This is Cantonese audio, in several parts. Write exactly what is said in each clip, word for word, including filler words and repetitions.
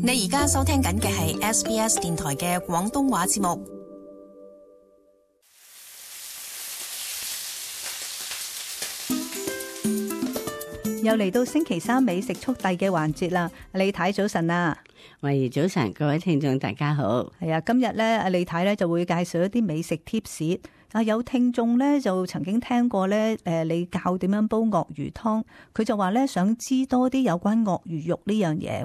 你而家收聽緊嘅係 S B S 電台嘅廣東話節目。又嚟到星期三美食速遞嘅環節啦，李太早晨啊！喂，早晨，各位聽眾大家好。係啊，今日咧，阿李太咧就會介紹一啲美食 tips。啊，有聽眾咧就曾經聽過咧，誒，你教點樣煲鱷魚湯，佢就話咧想知多啲有關鱷魚肉呢樣嘢。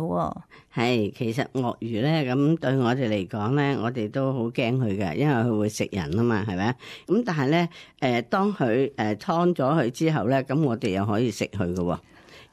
係，其實鱷魚咧咁對我哋嚟講咧，我哋都好驚佢嘅，因為佢會食人啊嘛，係咪？咁但係咧，誒，當佢誒劏咗佢之後咧，咁我哋又可以食佢嘅。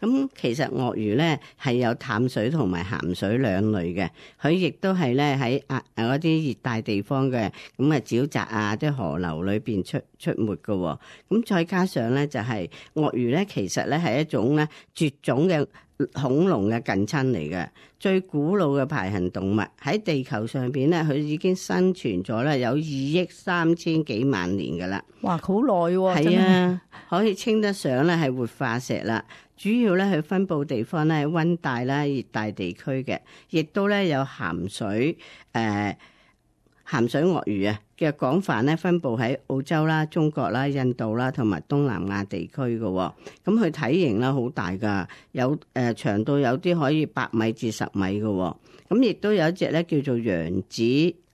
咁其實鱷魚咧係有淡水同埋鹹水兩類嘅，佢亦都係咧喺啊嗰啲熱帶地方嘅咁啊沼澤啊，即係河流裏邊出出沒嘅。咁再加上咧就係鱷魚咧，其實咧係一種咧絕種嘅恐龍嘅近親嚟嘅，最古老嘅排行動物喺地球上邊咧，佢已經生存咗咧有二億三千幾萬年噶啦。哇，好耐喎！係啊，可以稱得上咧係活化石啦。主要咧佢分佈地方咧係溫帶啦、熱帶地區嘅，亦都咧有鹹水誒、呃、鹹水鱷魚啊嘅廣泛咧分佈喺澳洲啦、中國啦、印度啦同埋東南亞地區嘅。咁佢體型咧好大噶，有誒、呃、長到有啲可以八米至十米嘅。咁亦都有一隻咧叫做揚子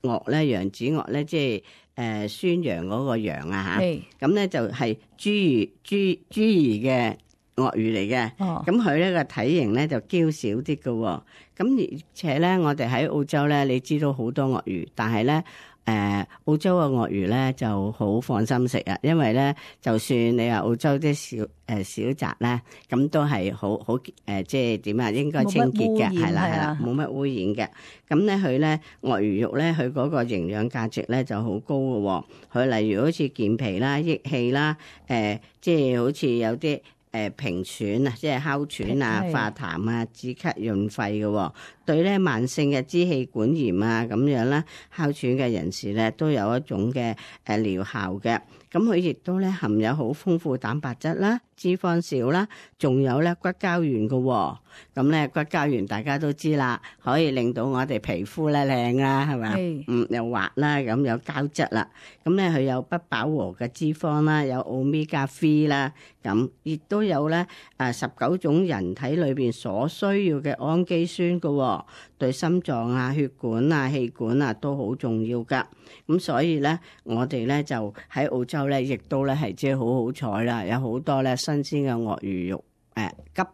鱷咧，揚子鱷咧即係。誒宣揚嗰個羊啊嚇，咁咧就係豬魚豬豬兒嘅鱷魚嚟嘅，咁佢咧個體型咧就嬌小啲嘅，咁而且咧我哋喺澳洲咧，你知道好多鱷魚，但係咧誒澳洲嘅鱷魚咧就好放心食啊，因為咧就算你話澳洲啲小誒小澤咧，咁都係好好誒，即係點啊？應該清潔嘅，係啦係啦，冇乜污染嘅。咁咧佢咧鱷魚肉咧，佢嗰個營養價值咧就好高嘅。佢例如好似健脾啦、益氣啦，誒、呃，即係好似有啲誒平喘啊，即係哮喘啊、化痰啊、止咳潤肺嘅。對咧慢性嘅支氣管炎啊咁樣啦，哮喘嘅人士咧都有一種嘅誒療效嘅。咁佢亦都咧含有好豐富蛋白質啦、脂肪少啦，仲有咧骨膠原嘅。咁咧骨膠原大家都知啦，可以令到我哋皮膚咧靚啦，係咪？嗯，又滑啦，咁有膠質啦。咁咧佢有不飽和嘅脂肪啦，有 omega 三 啦，咁亦都有咧誒十九種人體裏邊所需要嘅氨基酸嘅。對心臟啊、血管啊、氣管啊都好重要噶。咁所以咧，我哋咧就喺澳洲咧，亦都咧係即係好好彩啦，有好多咧新鮮嘅鱷魚肉。誒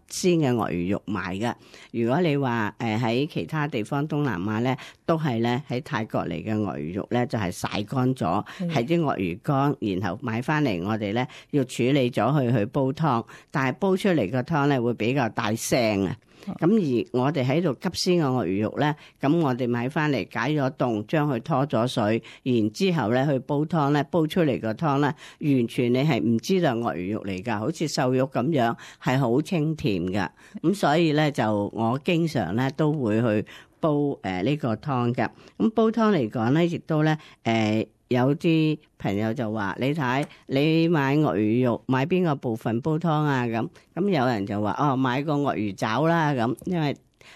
急鮮嘅鱷魚肉賣嘅。如果你話誒喺其他地方東南亞咧，都係咧喺泰國嚟嘅鱷魚肉咧，就係曬乾咗，係啲鱷魚乾，然後買翻嚟，我哋咧要處理咗佢去煲湯，但係煲出嚟個湯咧會比較大腥啊。咁而我哋喺度急鮮嘅鱷魚肉咧，咁我哋買翻嚟解咗凍，將佢拖咗水，然之後咧去煲湯咧，煲出嚟個湯咧，完全你係唔知道鱷魚肉嚟㗎，好似瘦肉咁樣，係好清甜㗎。咁所以咧就我經常咧都會去煲誒呢、呃這個湯㗎。咁煲湯嚟講咧，亦都咧誒。呃有啲朋友就話：你睇你買鱷魚肉買邊個部分煲湯啊？咁咁有人就話：哦，買個鱷魚爪啦，咁因為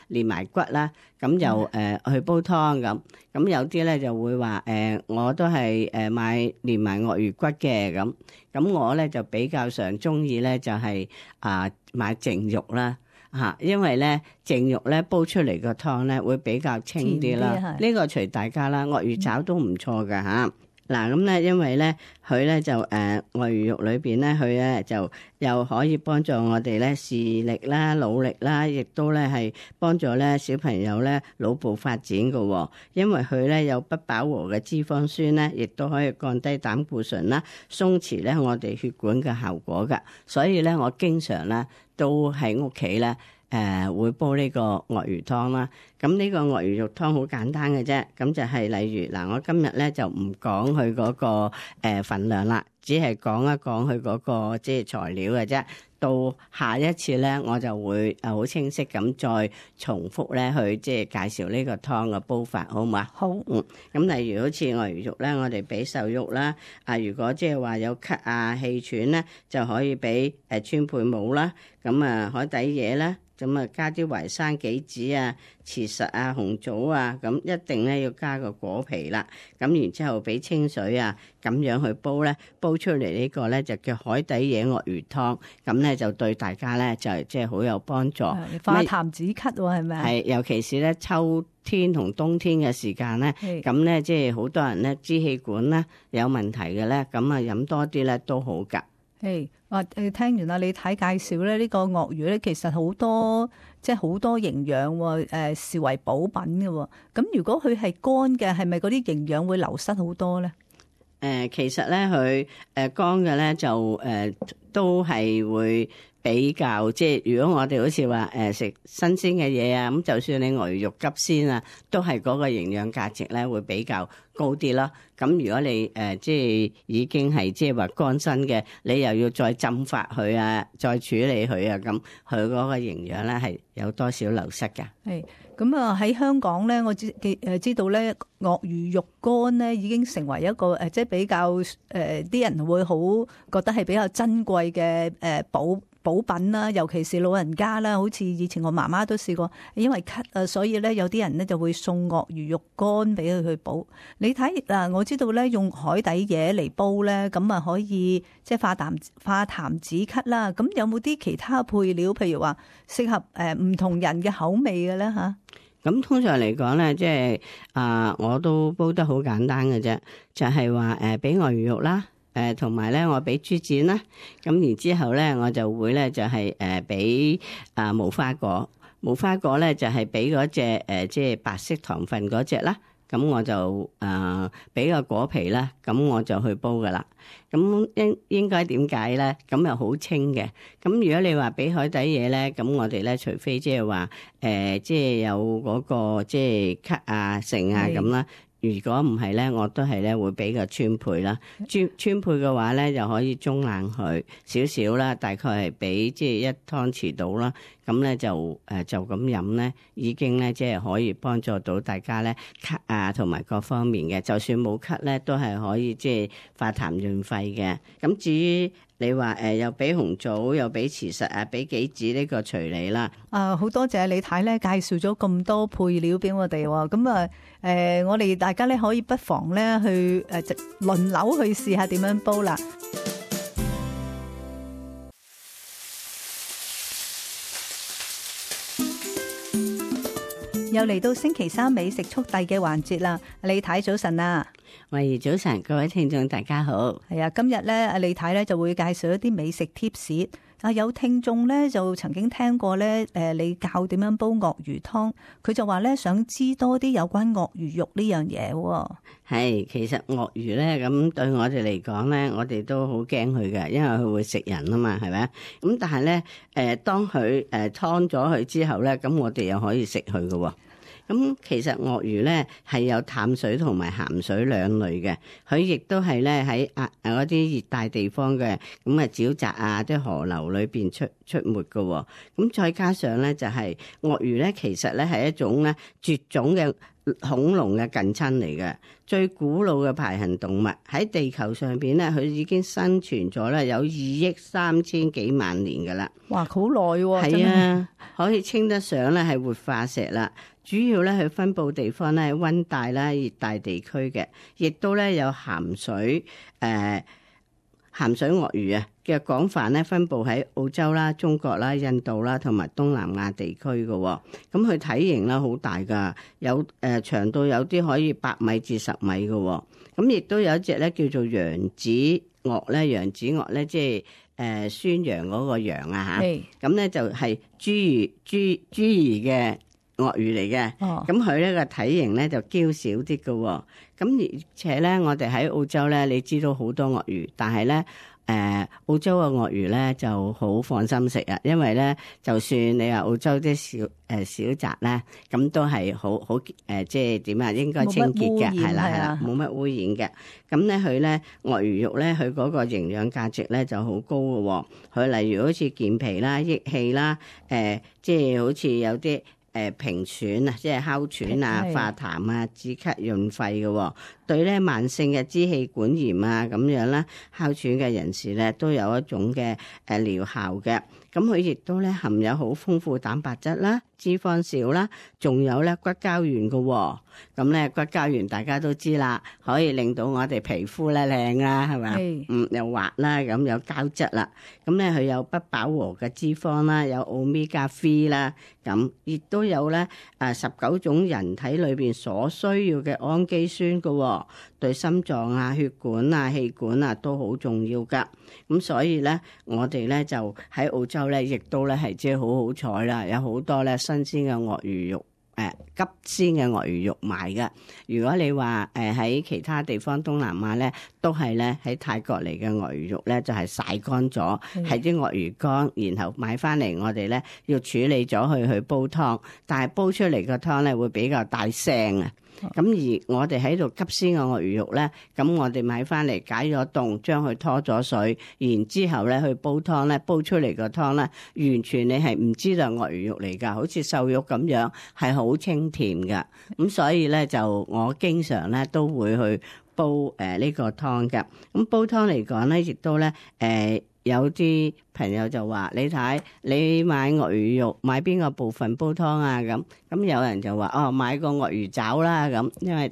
連埋骨啦，咁就誒、呃、去煲湯咁。咁有啲咧就會話：誒、呃，我都係誒買連埋鱷魚骨嘅咁。咁我咧就比較上中意咧就係、是、啊、呃、買淨肉啦。嚇，因為咧淨肉咧煲出嚟個湯咧會比較清啲啦。呢個隨大家啦，鱷魚爪都唔錯㗎嚇。嗱咁咧，因為咧佢咧就誒鱷魚肉裏邊咧，佢咧就又可以幫助我哋咧視力啦、腦力啦，亦都咧係幫助咧小朋友咧腦部發展嘅。因為佢咧有不飽和嘅脂肪酸咧，亦都可以降低膽固醇啦，鬆弛咧我哋血管嘅效果㗎。所以咧，我經常咧都喺屋企咧。誒、呃、會煲呢個鱷魚湯啦，咁呢個鱷魚肉湯好簡單嘅啫，咁就係例如嗱，我今日咧就唔講佢嗰個誒份量啦，只係講一講佢嗰個即係材料嘅啫。到下一次咧，我就會誒好清晰咁再重複咧去即係介紹呢個湯嘅煲法，好唔好啊？好。嗯，咁例如好似鱷魚肉咧，我哋俾瘦肉啦。啊，如果即係話有咳啊、氣喘咧，就可以俾誒川貝母啦。咁啊，海底椰啦。咁啊，加啲淮山杞子啊、慈實啊、紅棗啊，咁一定咧要加個果皮啦。咁然之後俾清水啊，咁樣去煲咧，煲出嚟呢個咧就叫海底椰鱷魚湯。咁咧就對大家咧就即係好有幫助。化痰止咳喎，係咪啊？係，尤其是咧秋天同冬天嘅時間咧，咁咧即係好多人咧支氣管咧有問題嘅咧，咁啊飲多啲咧都好㗎。誒，哇！誒，聽完啦，你睇介紹咧，呢個鱷魚咧，其實好多即係好多營養喎，誒視為補品嘅喎。咁如果佢係乾嘅，係咪嗰啲營養會流失好多咧？誒、呃，其實咧佢誒乾嘅咧就誒、呃、都係會比較即係，如果我哋好似話誒食新鮮嘅嘢啊，咁就算你鱷魚肉急鮮啊，都係嗰個營養價值咧會比較高啲咯。咁如果你誒、呃、即係已經係即係話乾身嘅，你又要再浸發佢啊，再處理佢啊，咁佢嗰個營養咧係有多少流失㗎？係咁啊！喺香港咧，我知誒知道咧，鱷魚肉乾咧已經成為一個誒即係比較誒啲、呃、人會好覺得係比較珍貴嘅誒補補品啦，尤其是老人家啦，好似以前我媽媽都試過，因為咳啊，所以咧有啲人咧就會送鱷魚肉乾俾佢去補。你睇嗱，我知道咧用海底椰嚟煲咧，咁啊可以即係化痰化痰止咳啦。咁有冇啲其他配料，譬如話適合誒唔同人嘅口味嘅咧嚇？咁通常嚟講咧，即係啊，我都煲得好簡單嘅啫，就係話誒俾鱷魚肉啦。誒同埋咧，我俾豬展啦，咁然之後咧，我就會咧就係誒俾啊無花果，無花果咧就係俾嗰隻誒即係白色糖分嗰隻啦，咁我就誒俾個果皮啦，咁我就去煲噶啦。咁應應該點解咧？咁又好清嘅。咁如果你話俾海底椰咧，咁我哋咧除非即係話誒即係有嗰個即係咳啊、剩啊咁啦。如果唔係咧，我都係咧會俾個川貝啦。川川貝嘅話咧，就可以中冷佢少少啦，大概係俾即係一湯匙到啦。咁咧就誒就咁飲咧，已經咧即係可以幫助到大家咧咳啊，同埋各方面嘅。就算冇咳咧，都係可以即係化痰潤肺嘅。咁至於你話誒又俾紅棗，又俾慈實啊，俾杞子呢個隨你啦。啊，好多謝李太咧介紹咗咁多配料俾我哋喎。咁啊誒，我哋大家咧可以不妨咧去誒輪流去試下點樣煲啦。又嚟到星期三美食速遞嘅環節啦，李太早晨啊！喂，早晨，各位聽眾大家好。係啊，今日咧，阿李太咧就會介紹一啲美食貼士。啊，有聽眾咧就曾經聽過咧，誒，你教點樣煲鱷魚湯，佢就話咧想知多啲有關鱷魚肉呢樣嘢。係，其實鱷魚咧咁對我哋嚟講咧，我哋都好驚佢嘅，因為佢會食人啊嘛，係咪？咁但係咧，誒，當佢誒劏咗佢之後咧，咁我哋又可以食佢嘅。咁其實鱷魚咧係有淡水同埋鹹水兩類嘅，佢亦都係咧喺啊嗰啲熱帶地方嘅咁啊沼澤啊啲河流裏邊出出沒嘅。咁再加上咧就係鱷魚咧，其實咧係一種咧絕種嘅恐龍嘅近親嚟嘅，最古老嘅排行動物喺地球上邊咧，佢已經生存咗咧有二億三千幾萬年噶啦。哇，好耐喎！係啊，可以稱得上咧係活化石啦。主要咧佢分佈地方咧係溫帶啦、熱帶地區嘅，亦都咧有鹹水誒、呃、鹹水鱷魚啊嘅廣泛咧分佈喺澳洲啦、中國啦、印度啦同埋東南亞地區嘅。咁佢體型咧好大㗎，有誒、呃、長到有啲可以八米至十米嘅。咁亦都有一隻咧叫做揚子鱷咧，揚子鱷咧即係誒、呃、宣揚嗰個揚啊嚇。咁咧就係豬魚豬豬兒嘅鱷魚嚟嘅，咁佢呢個體型咧就嬌小啲嘅，咁而且咧我哋喺澳洲咧，你知道好多鱷魚，但係咧誒澳洲嘅鱷魚咧就好放心食啊，因為咧就算你話澳洲啲小誒小宅咧，咁都係好好誒，即係點啊？應該清潔嘅，係啦係啦，冇乜污染嘅。咁咧佢咧鱷魚肉咧，佢嗰個營養價值咧就好高嘅喎。佢例如好似健脾啦、益氣啦，誒即係好似有啲誒平喘啊，即係哮喘啊、化痰啊、止咳潤肺嘅。對咧慢性嘅支氣管炎啊咁樣啦，哮喘嘅人士咧都有一種嘅誒療效嘅。咁佢亦都咧含有好豐富蛋白質啦、脂肪少啦，仲有咧骨膠原嘅喎。咁咧骨膠原大家都知啦，可以令到我哋皮膚咧靚啦，係咪啊？嗯，又滑啦，咁有膠質啦。咁咧佢有不飽和嘅脂肪啦，有 omega 三 啦，咁亦都有咧誒十九種人體裏邊所需要嘅氨基酸嘅喎。對心臟啊、血管啊、氣管啊都好重要噶。咁所以咧，我哋咧就喺澳洲咧，亦都咧係即係好好彩啦，有好多咧新鮮嘅鱷魚肉。誒急鮮嘅鱷魚肉賣嘅。如果你話誒喺其他地方東南亞咧，都係咧喺泰國嚟嘅鱷魚肉咧，就係曬乾咗，係啲鱷魚乾，然後買翻嚟我哋咧要處理咗佢去煲湯，但係煲出嚟個湯咧會比較大腥啊。咁而我哋喺度急鮮嘅鱷魚肉咧，咁我哋買翻嚟解咗凍，將佢拖咗水，然之後咧去煲湯咧，煲出嚟個湯咧，完全你係唔知道鱷魚肉嚟㗎，好似瘦肉咁樣，係好清甜㗎。咁所以咧就我經常咧都會去煲誒呢、呃呢個湯㗎。咁煲湯嚟講咧，亦都咧誒。呃有啲朋友就話：你睇你買鱷魚肉買邊個部分煲湯啊？咁咁有人就話：哦，買個鱷魚爪啦，咁因為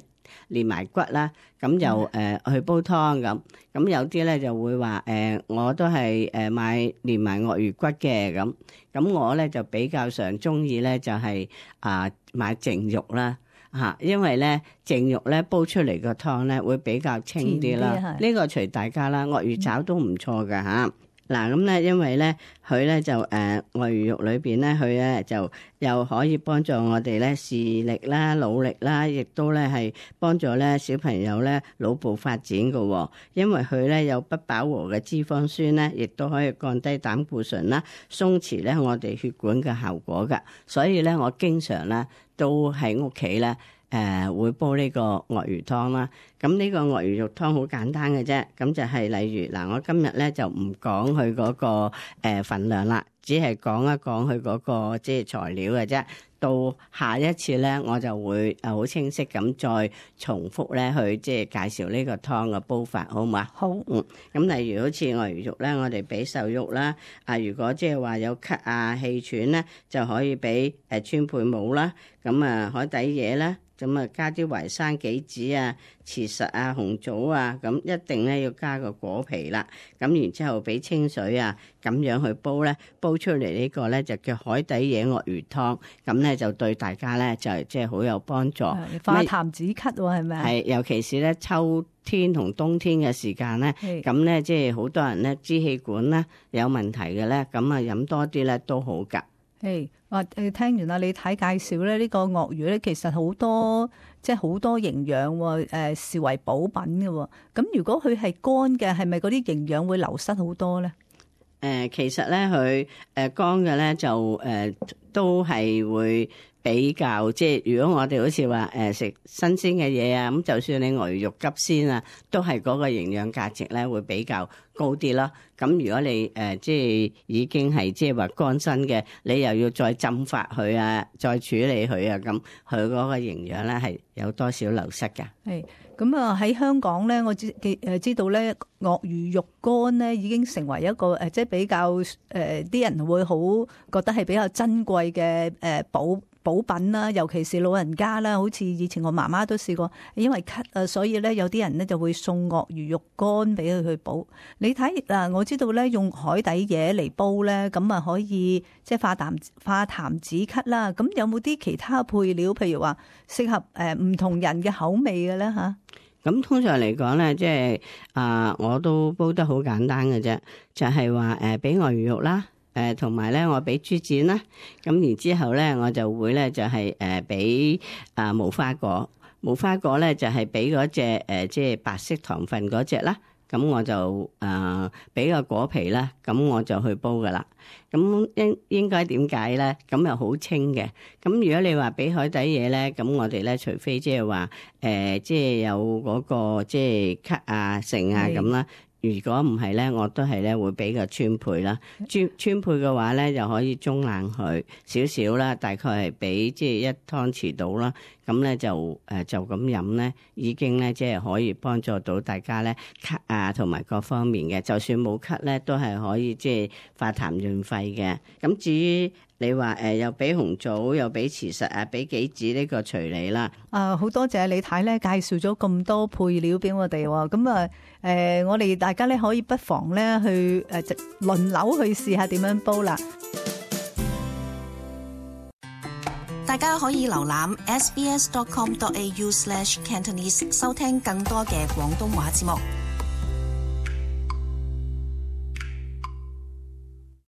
連埋骨啦，咁就誒、呃、去煲湯咁。咁有啲咧就會話：誒、呃，我都係誒買連埋鱷魚骨嘅咁。咁我咧就比較上中意咧就係、是、啊、呃、買淨肉啦。嚇，因為咧淨肉咧煲出嚟個湯咧會比較清啲啦。呢個隨大家啦，鱷魚爪都唔錯㗎嚇。嗱咁咧，因為咧佢咧就誒、呃、鱷魚肉裏邊咧，佢咧就又可以幫助我哋咧視力啦、腦力啦，亦都咧係幫助咧小朋友咧腦部發展嘅、哦。因為佢咧有不飽和嘅脂肪酸咧，亦都可以降低膽固醇啦、鬆弛咧我哋血管嘅效果㗎。所以咧，我經常咧都喺屋企咧。誒、呃、會煲呢個鱷魚湯啦，咁呢個鱷魚肉湯好簡單嘅啫，咁就係例如嗱，我今日咧就唔講佢嗰個誒份量啦，只係講一講佢嗰個即係材料嘅啫。到下一次咧，我就會誒好清晰咁再重複咧去即係介紹呢個湯嘅煲法，好唔好啊？好，嗯，咁例如好似鱷魚肉咧，我哋俾瘦肉啦，啊，如果即係話有咳啊、氣喘咧，就可以俾誒川貝母啦，咁啊海底椰啦。咁啊，加啲淮山杞子啊、慈實啊、紅棗啊，咁一定咧要加個果皮啦。咁然之後俾清水啊，咁樣去煲咧，煲出嚟呢個咧就叫海底椰鱷魚湯。咁咧就對大家咧就即係好有幫助。化痰止咳喎，係咪啊？係，尤其是咧秋天同冬天嘅時間咧，咁咧即係好多人咧支氣管咧有問題嘅咧，咁啊飲多啲咧都好㗎。誒，話誒聽完啦，你睇介紹咧，呢個鱷魚咧其實好多即係好多營養喎，誒視為補品嘅喎。咁如果佢係乾嘅，係咪嗰啲營養會流失好多咧？誒，其實咧佢誒乾嘅咧就誒都係會比較即係，如果我哋好似話誒食新鮮嘅嘢啊，咁就算你鱷魚肉急鮮啊，都係嗰個營養價值咧會比較高啲啦。咁如果你誒、呃、即係已經係即係話乾身嘅，你又要再浸發佢啊，再處理佢啊，咁佢嗰個營養咧係有多少流失㗎？係咁啊！喺香港咧，我知誒知道咧，鱷魚肉乾咧已經成為一個誒即係比較誒啲、呃、人會好覺得係比較珍貴嘅誒補補品啦，尤其是老人家啦，好似以前我媽媽都試過，因為咳啊，所以咧有啲人咧就會送鱷魚肉乾俾佢去補。你睇嗱，我知道咧用海底椰嚟煲咧，咁啊可以即係化痰化痰止咳啦。咁有冇啲其他配料，譬如話適合誒唔同人嘅口味嘅咧嚇？咁通常嚟講咧，即係啊，我都煲得好簡單嘅啫，就係話誒俾鱷魚肉啦。誒同埋咧，我俾豬展啦，咁然之後咧，我就會咧就係誒俾啊無花果，無花果咧就係俾嗰隻誒即係白色糖分嗰隻啦，咁我就誒俾個果皮啦，咁我就去煲噶啦。咁應應該點解咧？咁又好清嘅。咁如果你話俾海底嘢咧，咁我哋咧除非即係話誒，即係有嗰個即係咳啊、剩啊咁啦。如果唔係咧，我都係咧會俾個川貝啦。川川貝嘅話咧，就可以中冷佢少少啦，大概係俾即係一湯匙到啦。咁咧就誒就咁飲咧，已經咧即係可以幫助到大家咧咳啊，同埋各方面嘅。就算冇咳咧，都係可以即係化痰潤肺嘅。咁至於你話誒、呃、又俾紅棗，又俾慈實啊，俾杞子呢個隨你啦。啊，好多謝李太咧介紹咗咁多配料俾我哋喎。咁啊誒，我哋大家咧可以不妨咧去誒輪流去試下點樣煲啦。大家可以瀏覽 s b s dot com dot a u slash cantonese 收聽更多嘅廣東話節目。